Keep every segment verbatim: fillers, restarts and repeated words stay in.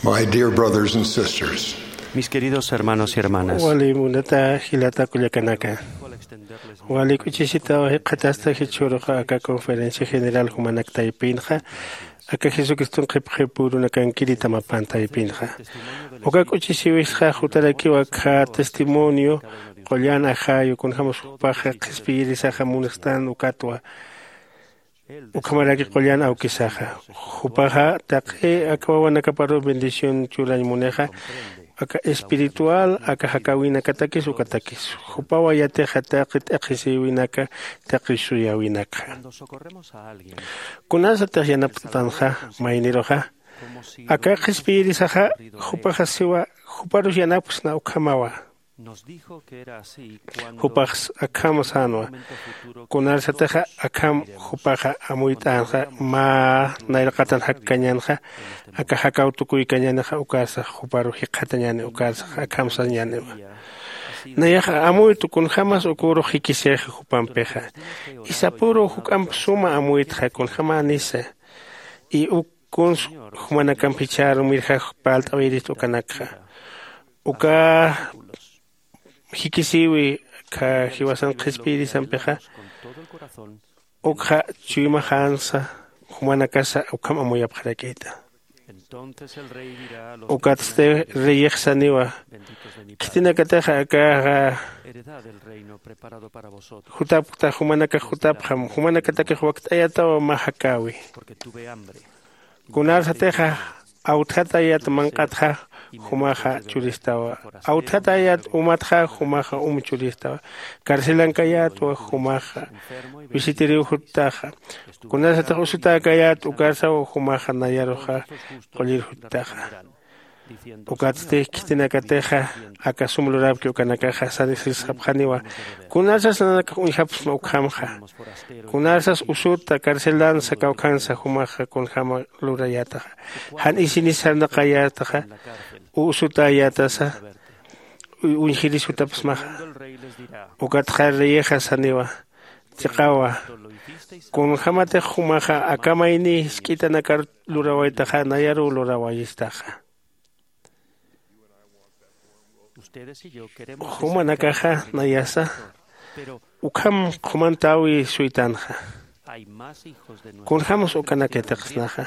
My dear brothers and sisters, mis queridos hermanos y hermanas, wali munata jilata kullakanaka, wali k'uchisitaw jikxatasta jichhüruxa aka conferencia general jumanak taypinxa, aka jesucriston qhipqhipürunakankiri tamapan taypinxa. Uka k'uchisiwisxa jutarakiw akha testimonio qullan ajayu kunjämas jupaxa qhispiyirisaxa munastan ukatwa. Ukhamaraki qullan awkisaxa, jupaxa taqi aka wawanakaparuw bendición churañ munixa, aka espiritual aka jakäwinakatakis ukatakis jupawa yatixa taqi t'aqhisïwinaka, taqi suyäwinakxa. Kunasatix yanapt'atanxa mayniruxa, aka qhispiyirisaxa jupaxa siwa juparus yanapksna ukhamawa. Jupax akham sänwa. Kunarsatixa akham jupaxa amuyt'änxa mä nayraqatan jakkañänxa, aka jakaw tukuykañänixa ukarsax juparu jikxatañäni ukarsax akham sañäniwa. Nayaxa amuytu kunjämas ukürux jikisixi jupampixa. Isapüruw juk'amp suma amuytxa kunjämänisa. Y uk kuns jumanakamp jichhärumirjax parlt'awayirist ukanakxa. Uka jikisïwi jiwasan qhispiyirisampixa, ukxa chuymaxänsa jumanakasa ukham amuyapxarakïta. Ukatsti reyix saniwa, khitinakatixa akaxa jutapkta jumanakax jutapxam jumanakatakix wakt'ayatawa mä jakäwi. Kunarsatixa awtjatayat manq'atxa, jumaxa churistawa. Awtjatayat umatxa, jumaxa um churistawa. Carcelankayätwa, jumaxa visitiriw juttaxa. Kunarsatix usutäkayät ukarsaw, jumaxa nayaruxa qullir juttaxa. Ukatsti khitinakatixa aka sum lurapki ukanakaxa sisxapxaniwa. Kunarsas nanakax uñjapxsma ukhamxa, kunarsas usuta carcelansa kawkhansa jumaxa kunjäma lurayätaxa. Jan isinis sarnaqayätaxa, usutäyätasa uñjiris jutapxsmaxa. Ukatxa reyixa saniwa, chiqawa, kunjämatix jumaxa aka mayni jisk'itanakar lurawaytaxa nayaruw lurawayistaxa. Jumanakaxa nayasa ukham qhumantäwi suytanxa. Kunjämas ukanak yatiqsnaxa.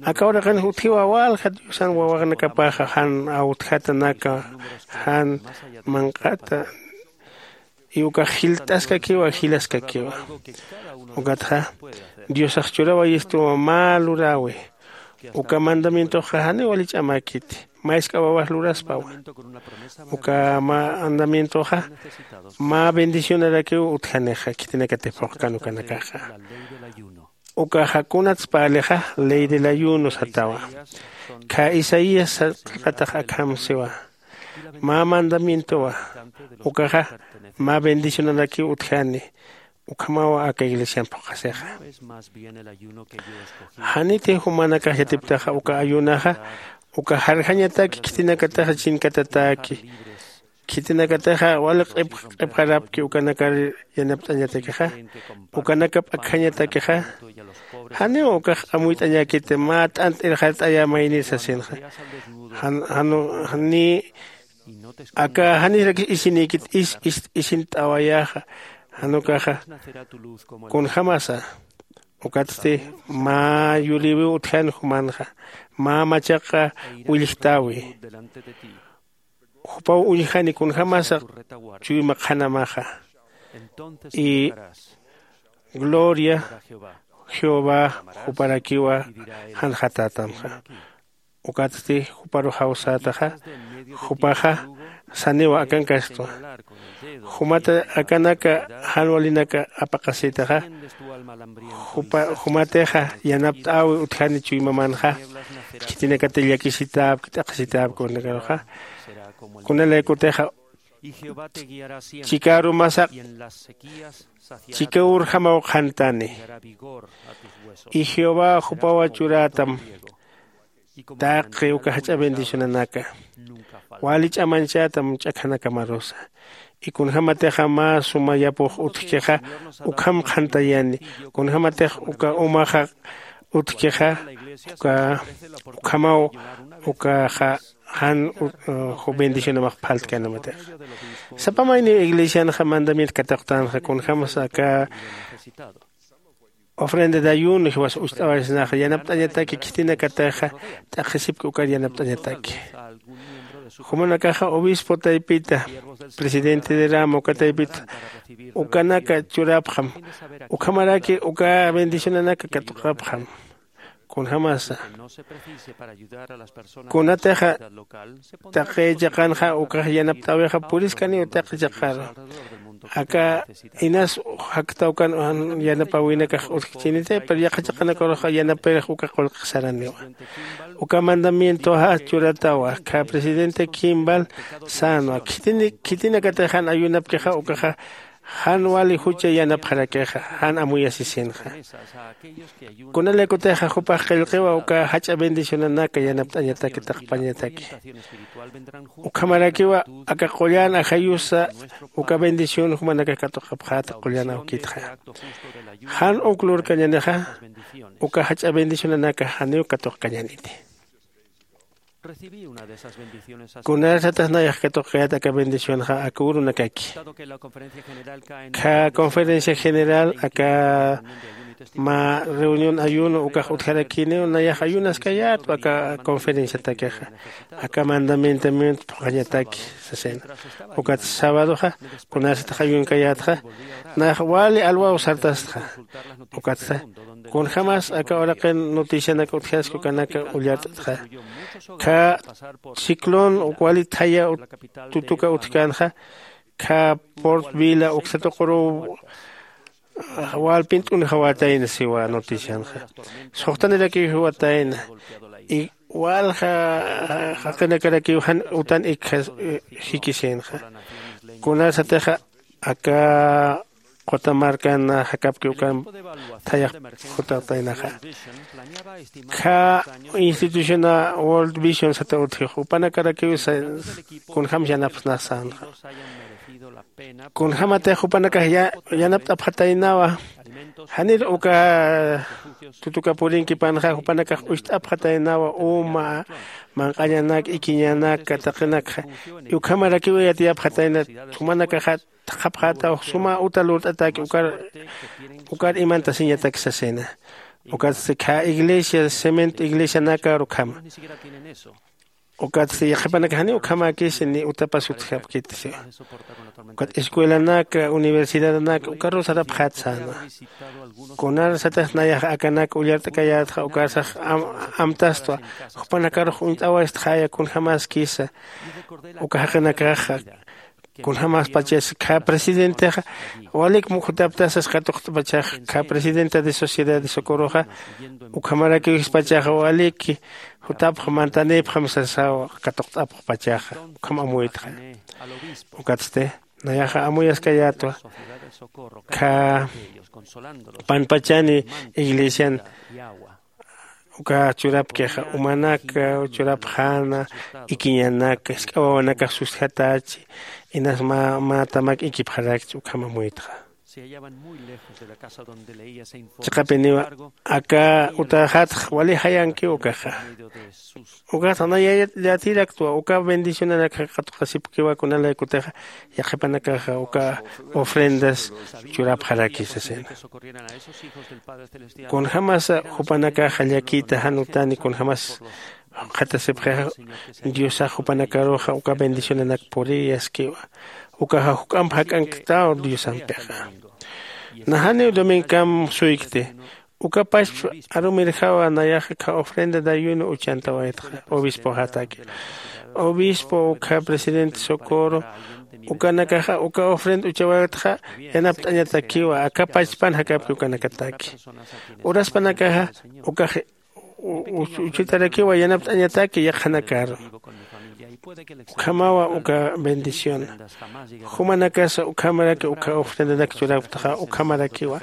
Aka uraqinx utjiwa walja diosan wawaxnakapaxa jan awtjatanaka, jan manq'ata y ukax jilt'askakiwa jilaskakiwa. Ukatxa diosax churawayistuwa mä luräwi. Uka mandamientoxa janiw wali ch'amäkiti, mä jisk'a wawax luraspawa. Uka mandamientoxa mä bendicionarakiw utjanixa khitinakatix phuqkan ukanakaxa. Ukaxa kunats parlixa ley del ayuno satawa. Khä isaías qillqatax akham siwa, mä mandamientowa. Ukaxa mä bendicionarakiw utjani. Ukhamawa aka iglesian phuqasixa. Janiti jumanakax yatiptaxa uka ayunaxa uka jarjañataki khitinakataxa chinkatatäki. Khitinakataxa wali q'ipxarapki ukanakar yanapt'añatakixa, ukanakap akjañatakixa. Janiw ukax amuyt'añäkiti mä t'ant irxart'ayä maynir sasinxa. Janiy aka janirakis isinïkit is ist'awayäxa. Jan ukaxa kunjämasa. Ukatsti mä yulïwiw utjan jumanxa, mä machaqa willjtäwi. Jupaw uñjani kunjämasa chuyma qhanamaxa. Y gloria jehová juparakiwa janxatätamxa. Ukatsti juparu jawsätaxa. Jupaxa saniwa akankastwa. Jumata akanaka jan walinaka apaqasïtaxa. Jumatixa yanapt'äwi utjani chuymamanxa. Khitinakati llakisitäpki t'aqhisitäpki ukanakaruxa. Kunalaykutixa chikaru masaq chika urjamaw qhantani. Y jehová jupawa churätam taqi uka jach'a bendicionanaka. Wali ch'amañchätam ch'akhanakamarusa. Y kunjämatixa mä suma yapux utjkixa ukham qhantayani. Kunjämatix uka umaxa utjkixa uka ukhamaw ukaxa jan bendicionamax phaltkanamatixa. Sapamayniw iglesianxa mandamiento katuqtanxa kunjämsa aka ofrenda de ayuno jiwas ucht'awaysnaxa yanapt'añataki khitinakatixa t'aqhisipki ukar yanapt'añataki. Jumanakaxa obispo taypita presidente de rama uka taypita ukanaka churapxam. Ukhamaraki uka bendicionanaka katuqapxam. Kunjämasa kunatixa taqi chiqanxa ukax yanapt'äwixa puriskaniw taqi chiqaru. Aka inas jaktawkan yanapawinakax utjchiniti pero yaqha chiqanakarux yanapirix uka qullqix saraniwa. Uka mandamientoxa churatawa kha presidente kimbal sänwa khitinakatixa jan ayunapkixa ukaxa jan wali jucha yanapxarakixa jan amuyasisinxa. Kunalaykutixa jupax qillqiwa uka jach'a bendicionanaka yanapt'añataki taqpañataki. Ukhamarakiwa aka qullan ajayusa uka bendición jumanakax katuqapxäta qullan awkitxa. Jan uk lurkañanixa uka jach'a bendicionanaka janiw katuqkañaniti. Kunarsatix nayax katuqkayät aka bendicionxa aka urunakaki. Kha conferencia general aka mä reunión ayuno ukax utjarakiniw nayax ayunaskayätwa aka conferenciatakixa aka mandamientamiento phuqhañataki sasina. Ukat sabadoxa kunarsatix ayunkayätxa nayax wali alwaw sartastxa. Ukatsa kunjämas aka uraqin noticianak utjaski ukanaka ullart'txa. Kha ciclón uk wali thaya tutuka utjkänxa kha port vila uksa tuquruw walpint'unjawatayna siwa noticianxa. Suxtanirakiw jiwatayna y walja jaqinakarakiw jan utan ikja jikisinxa. Kunarsatixa aka qutamarkan jakapki ukan thayax jutaqtaynaxa. Kha instituciona world vision sata utjix upanakarakiw kunjämsa yanapxsnax sänxa. Kunjämatix jupanakax yanapt'apxataynawa. Janir uka tutuka purinkipanxa jupanakax ucht'apxataynawa uma manq'añanak ikiñanak taqinakxa. Ukhamarakiw yatiyapxatayna jumanakaxa thaqhapxätaw suma uta lurt'atäki ukar imantasiñatak sasina. Ukatsti khä iglesia cemento iglesianakar ukhama. Ukatsti yaqhipanakax janiw ukhamäkisi ni utapas utjapkiti siwa. Ukat escuelanaka universidadanaka ukarus sarapxät sänwa. Kunarsatix nayax akanak ullart'kayätxa ukarsax amtastwa jupanakarux uñt'awaytxaya kunjämaskisa uka jaqinakaxa. Kunjämaspachas khä presidentexa walik muk jutaptasas katuqt'pachax khä presidenta de sociedad de socorroxa. Ukhamarakiw jispachaxa walik jutapx mantanipxam sasaw katuqt'apxpachaxa. Ukham amuytxa. Ukatsti nayaxa amuyaskayätwa khä panpachani iglesian uka churapkixa umanaka churapxäna ikiñanaka jisk'a wawanakax sustjatächi inas mä tamak ikipxarakchi ukham amuytxa. Chiqapiniwa aka utaxatx wali jayankiw ukaxa. Ukax naya yatiraktwa uka bendicionanakxa katuqasipkiwa kunalaykutixa yaqhipanakaxa uka ofrendas churapxaraki sasina. Kunjämasa jupanakaxa llakita jan utani kunjämas jukxatasipxixa diosax jupanakaruxa uka bendicionanak puriyaskiwa. Ukaxa juk'amp jak'anktaw diosampixa. Najaniw domingkam suykti uka pachpa arumirjawa nayaxa kha ofrenda de ayuno uchantawaytxa obispoxataki. Obispo ukkha presidente socorro ukanakaxa uka ofrenda uchawaytxa yanapt'añatakiwa aka pachpan jakapki ukanakataki. Uraspanakaxa ukax uchitarakiwa yanapt'añataki yaqhanakaru. Ukhamawa uka bendición. Jumanakasa ukhamaraki uka ofrendanak churapktaxa ukhamarakiwa.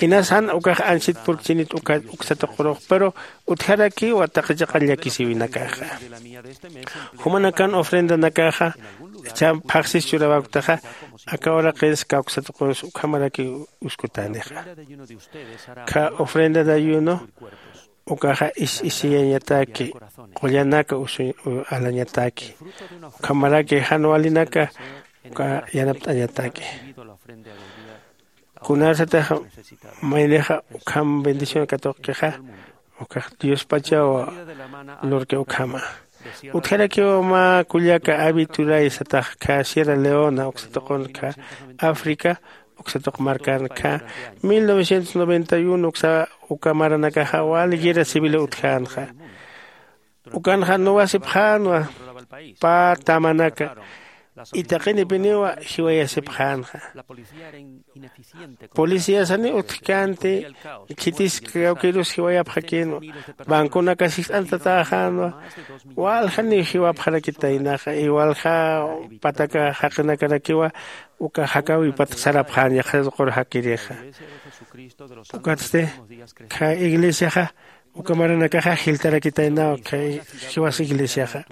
Inas jan ukax ansit purkchinit uka uksa tuqurux pero utjarakiwa taqi chiqa llakisïwinakaxa. Jumanakan ofrendanakaxa cham phaxsis churawaktaxa aka uraqins kawksa tuqurus ukhamaraki uskutänixa. Kha ofrenda de ayuno ukaxa is isiyañataki, qullanaka usu alañataki, ukhamaraki jan walinaka uka yanapt'añataki. Kunarsatix maynixa ukham bendición katuqkixa, ukax diospachaw lurki ukhama. Utjarakiw mä kullaka avi turay satax khä sierra leona uksatuqun khä africa, uksatuq markan khä mil novecientos noventa y uno uksa uka maranakaxa wali guerra civil utjänxa. Ukanxa nuwasipxänwa pä tamanaka, itaqinipiniwa jiwayasipxänxa. Policiasani utjkänti, khitis kawkirus jiwayapxakïnwa, banconakas jist'antatäxänwa. Waljaniw jiwapxarakitaynaxa y walja pataka jaqinakarakiwa uka jakäwipat sarapxän yaqha tuqur jakirixa. Ukatsti khä iglesiaxa uka maranakaxa jiltarakitaynaw khä jiwas iglesiaxa.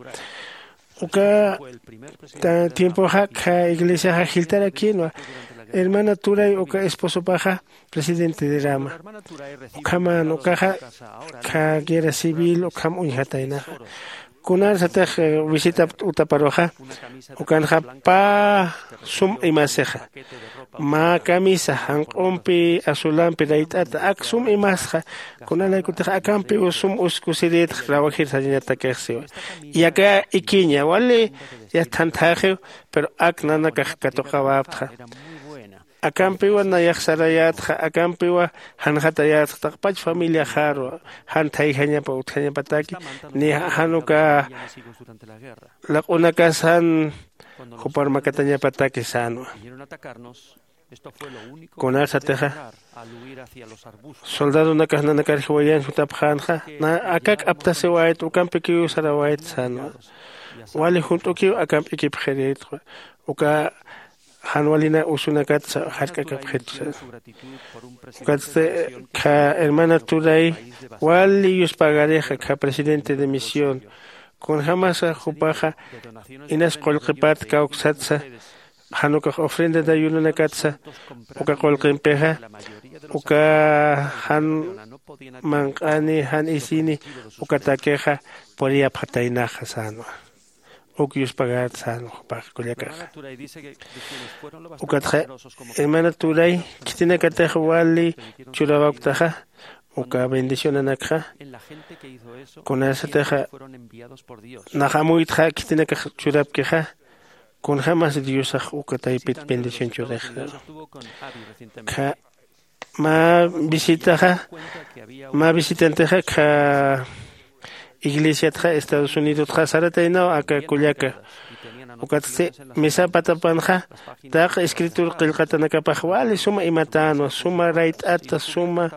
Uka tiempoxa khä iglesiaxa jiltarakïnwa. Hermana turay uka esposopaxa presidente de rama. Ukhaman ukaxa khä guerra civil ukham uñjataynaxa. Kunarsatix visita utaparuxa, ukanxa pä sum imasixa, mä camisa janq'umpi azulampi rayt'ata ak sum imasxa. Kunalaykutix akampiw sum uskusirïtxa rawajir sarañatakix siwa. Yaka ikiña wali yathanthäxiw, pero ak nanakax katuqawaptxa. Akampiwa nayax sarayätxa, akampiwa janxatayätxa taqpach familiaxaru, jan thayjañapa utjañapataki ni jan uka laq'unakasan jupar makatañapataki sänwa. Kunarsatixa soldadonakax nanakar jiwayan jutapxänxa, akak aptasiwayt ukampikiw sarawayt sänwa. Wali junt'ukiw akamp ikipxirïtwa. Uka jan walina usunakatsa jark'akapxitsa. Ukatsti khä hermana turay wali yuspagarixa khä presidente de misión, kunjämasa jupaxa inas qullqipat kawksatsa, jan ukax ofrenda de ayunonakatsa uka qullqimpixa uka jan manq'ani jan isini ukatakixa puriyapxataynaxa sänwa. Uk yuspagät sänwa jupax kullakaxa. Ukatxa hermana turay khitinakatix wali churawaktaxa uka bendicionanakxa, kunasatixa nax amuytxa khitinakax churapkixa, kunjämas diosax uka taypit bendición churix. Mä visitaxa mä visitantixa khä iglesiatxa estados unidotxa sarataynaw aka kullaka. Ukatsti misa patapanxa taqi escritura qillqatanakapax wali suma imatänwa suma rayt'ata suma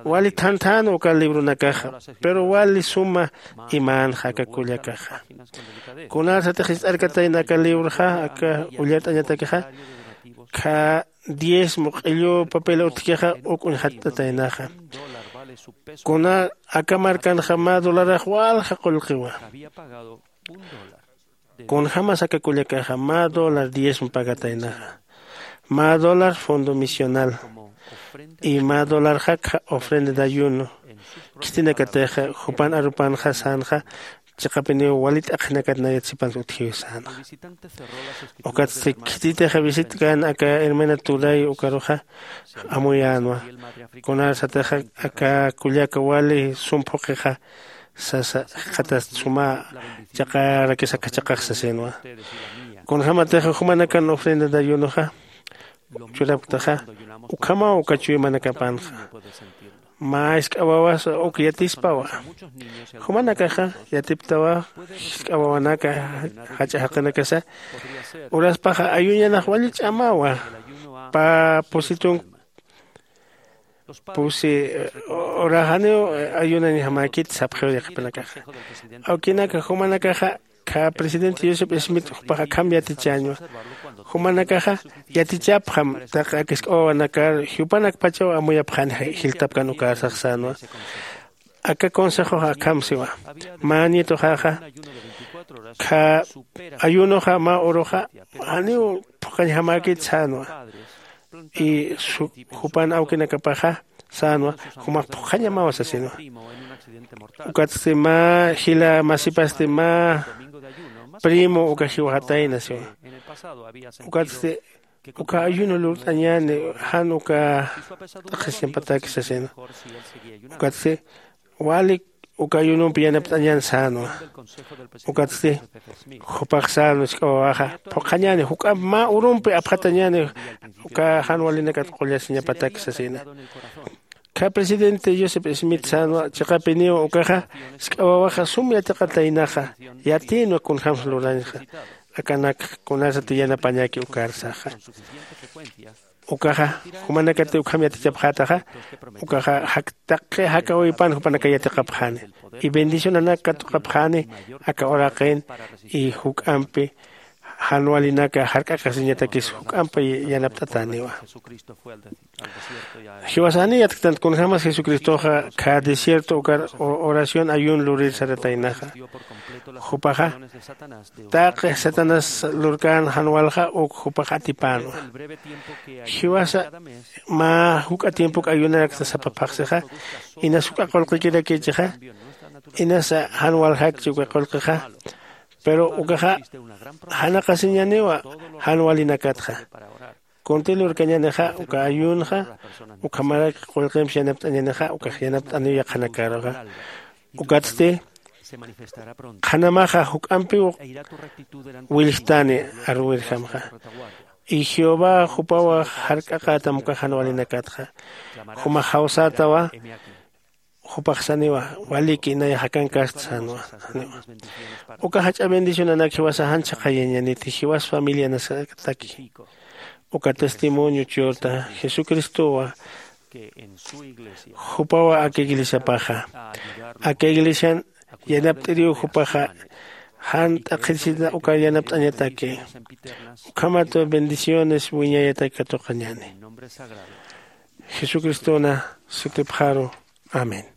wali thanthänwa uka libronakaxa. Pero wali suma imänxa aka kullakaxa. Kunarsatix jist'arkatayna aka libroxa aka ullart'añatakixa khä diezmo q'illu papel utjkixa uk uñjat'ataynaxa. Kuna aka markanxa mä dolarax walja qullqiwa. Kunjämas aka kullakaxa mä dólar diezmo pagataynaxa, mä dólar fondo misional y mä dólarxa khä ofrenda de ayuno. Khitinakatixa jupan arupanxa sänxa chiqapiniw wali t'aqhinakat nayat sipansa utjiw sänxa. Ukatsti khititixa visitkan aka hermana turay ukaruxa amuyänwa. Kunarsatixa aka kullaka wali sum phuqixa sasa jikxatast suma chaqarakis aka chaqax sasinwa. Kunjämatixa jumanakan ofrenda de ayunoxa churapktaxa ukhamaw uka chuymanakapanxa. Mä jisk'a wawasa uk yatispawa. Jumanakaxa yatiptawa jisk'a wawanaka jach'a jaqinakasa uraspaxa ayuñanax wali ch'amawa. Pä pusitun pusi uraxaniw ayunañjamäkit sapxiw yaqhipanakaxa. Awkinaka jumanakaxa khä presidente joseph smith jupax akham yatichäñwa. Jumanakaxa yatichapxam taqi aka jisk'a wawanakar jiwpanakpachaw amuyapxani jiltapkan ukarsax sänwa. Aka consejoxa akham siwa. Mä nietoxaxa khä ayunoxa mä uruxa janiw phuqañjamäkit sänwa. Y jupan awkinakapaxa sänwa, jumax phuqhañamawa sasinwa. Ukatsti mä jila masipasti mä primo uka jiwxatayna siwa. Ukatsti uka ayuno lurt'añäni jan uka t'aqhisiñapataki sasina. Ukatsti walik uka ayunompi yanapt'añäni sänwa. Ukatsti jupax sänwa, jisk'a wawaxa phuqhañäni juk'amp mä urumpi apxatañäni uka jan walinakat qullasiñapatak sasina. Kha presidente joseph smith sänwa chiqapiniw ukaxa jisk'a wawaxa sum yatiqataynaxa, yatïnwa kunjämsa lurañxa akanak kunasati yanapañäki ukar saxa. Ukaxa jumanakati ukham yatichapxätaxa. Ukaxa taqi jakawïpan jupanaka yatiqapxäni y bendicionanak katuqapxäni aka uraqin y juk'ampi jan walinaka jark'akasiñatakis juk'ampi yanapt'atäniwa. Jiwasani yatktant kunjämas jesucristoxa khä desierto ukar oración ayun lurir sarataynaxa. Jupaxa taqi satanás lurkän jan walja uk jupax atipänwa. Jiwasa mä juk'a tiempok ayunarakta sapa phaxsixa inas juk'a qullqikirakichixa, inasa jan waljakchi uka qullqixa. Pero ukaxa janaqasiñaniwa jan walinakatxa. Kunti lurkañänixa uka ayunxa ukhamarak qullqimps yanapt'añänixa ukax yanapt'aniw yaqhanakaruxa. Ukatsti qhanamaxa juk'ampiw willjtani arwirjamxa. Y jehová jupawa jark'aqätam uka jan walinakatxa. Jumax jawsätawa. Jupax saniwa waliki nay jakankast sänwa. Uka jach'a bendicionanak jiwasa jan chhaqhayañaniti jiwas familianasataki. Uka testimonio churta jesucristowa jupawa aka iglesiapaxa aka iglesian yanapt'iriw jupaxa jan t'aqhisita uka yanapt'añataki. Ukhamat bendiciones wiñayataki katuqañäni jesucristona sutipxaru. Amén.